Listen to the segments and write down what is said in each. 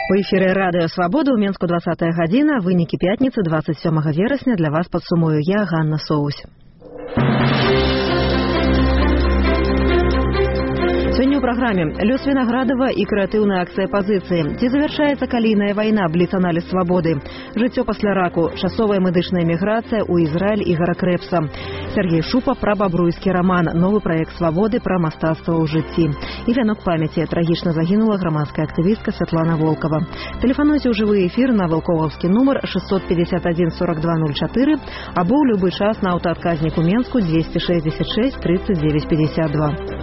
У эфіры радыё Свабода ў Менску 20 гадзіна, вынікі пятніцы 27 верасня для вас падсумую я, Ганна Соусь. Сёння ў праграме лёс Вінаградава і крэатыўная акцыя пазіцыі. Ці завяршаецца калійная вайна, бліц-аналіз свабоды. Жыццё пасля раку, часовая медычная міграцыя ў Ізраіль Ігара Крэпса. Сергей Шупа пра бабруйскі раман, новы праект свабоды пра мастацтва ў жыцці. І вянок памяці. Трагічна загінула грамадская актывістка Святлана Волкова. Тэлефануйце ў жывы эфір на валковаўскі нумар 651 42 04 або ў любы час на аўтаадказніку Менску 266 39 52.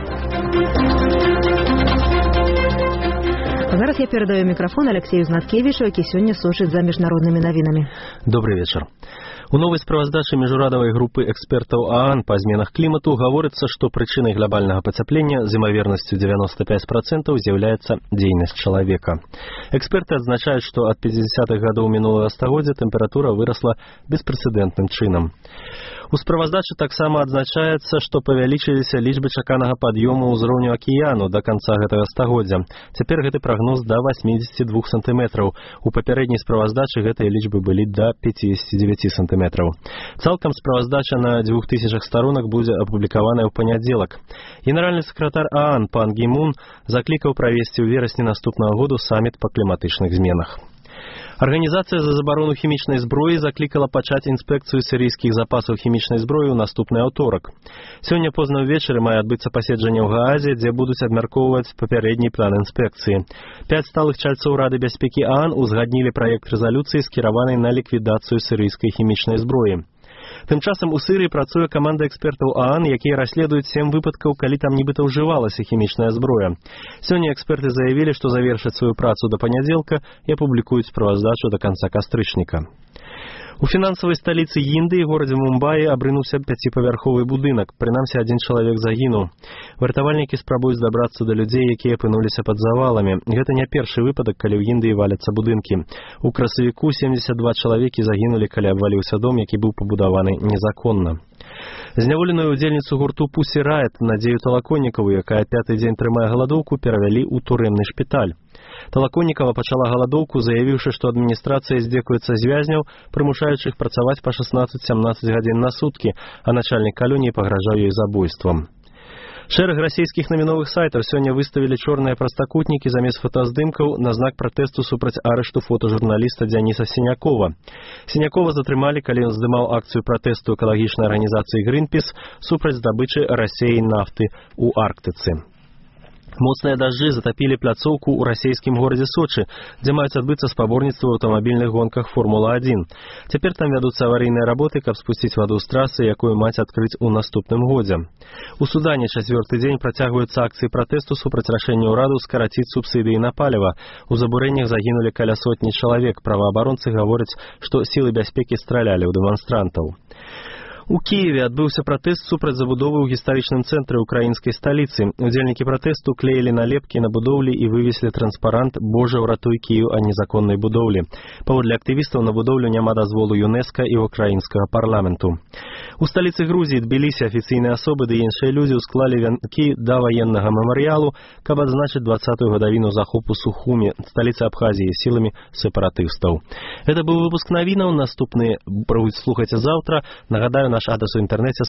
Зараз я перадаю мікрафон Алексею Знаткевічу, які сёння сочыць за міжнароднымі навінамі. Добрый вечар. У новай справаздачы міжурадавай групы экспертаў ААН па зменах клімату гаворыцца, што прычынай глобальнага пацяплення з імавернасцю 95% з'яўляецца дзейнасць чалавека. Эксперты адзначаюць, што ад 50-х гадоў мінулага стагоддзя тэмпература вырасла беспрэцэдэнтным чынам. У справаздачы таксама адзначаецца, што павялічыліся лічбы чаканага пад'ёму ўзроўню акіяну да канца гэтага стагоддзя. Цяпер гэты прагноз да 82 сантыметраў. У папярэдняй справаздачы гэтыя лічбы былі да 59 сантыметраў. Цалкам справаздача на 2000 старонак будзе апублікаваная ў панядзелак. Генеральны сакратар ААН пан Гі Мун заклікаў правесці ў верасні наступнага году саміт па кліматычных зменах. Арганізацыя за забарону хімічнай зброі заклікала пачаць інспекцыю сірыйскіх запасаў хімічнай зброі ў наступны аўторак. Сёння позна ўвечары мае адбыцца паседжанне ў Гаазе, дзе будуць абмяркоўваць папярэдні план інспекцыі. 5 сталых чальцоў Рады бяспекі ААН узгаднілі праект рэзалюцыі, скіраванай на ліквідацыю сірыйскай хімічнай зброі. Тым часам у Сырыі працуе каманда экспертаў ААН, якія расследуюць 7 выпадкаў, калі там нібыта ўжывалася хімічная зброя. Сёння эксперты заявілі, што завершаць сваю працу да панядзелка і апублікуюць справаздачу да канца кастрычніка. У фінансавай сталіцы Індыі, горадзе Мумбаі, абрынуўся 5павярховы будынак. Прынамсі, адзін чалавек загінуў. Вартавальнікі спрабуюць дабрацца да людзей, якія апынуліся пад заваламі. Гэта не першы выпадак, калі ў Індыі валяцца будынкі. У красавіку 72 чалавекі загінулі, калі абваліўся дом, які быў пабудаваны незаконна. Зняволеную удзельніцу гурту Пусі Райт Надзею Талаконнікаву, якая 5-й дзень трымае галадоўку, перавялі ў турэмны шпіталь. Талаконнікава пачала галадоўку, заявіўшы, што адміністрацыя здзекуецца з вязняў, прымушаючых працаваць па 16-17 гадзін на суткі, а начальнік калоніі пагражаў ёй забойствам. Шэраг расійскіх навіновых сайтаў сёння выставілі чорныя прастакутнікі замест фотаздымкаў на знак пратэсту супраць арышту фотажурналіста Дзяніса Сінякова. Сінякова затрымалі, калі ён здымаў акцыю пратэсту экалагічнай арганізацыі Greenpeace супраць здабычы Расеі нафты ў Арктыцы. Моцныя дажджы затапілі пляцоўку ў расійскім горадзе Сочы, дзе маюць адбыцца спаборніцтвы ў аўтамабільных гонках Формула-1. Цяпер там вядуцца аварыйныя работы, каб спусціць ваду з трасы, якую маць адкрыць у наступным годзе. У Судане 4-й дзень працягваюцца акцыі пратэсту супраць рашэння ўраду скараціць субсідыі на паліва. У забурэннях загінулі каля сотні чалавек. Праваабаронцы гавораць, што сілы бяспекі стралялі ў дэманстрантаў. У Киеве адбыўся пратэст супраць забудовы ў гістарычным цэнтры украінскай сталіцы. Удзельнікі пратэсту клеілі налепкі на будоўлі і вывесілі транспарант «Божа, ўратуй Кіеў ад незаконнай будоўлі». Паводле актывістаў на будоўлю няма дазволу ЮНЕСКА і украінскага парламенту. У сталіцы Грузіі Тбілісі афіцыйныя асобы ды іншыя людзі ўсклалі вянкі да ваеннага мемарыялу, каб адзначыць 20-ю гадавіну захопу Сухумі, сталіцы Абхазіі, сіламі сепаратыстаў. Гэта быў выпуск навінаў. Наступны слухайце заўтра. Нагадаю, наш адрес у інтэрнэце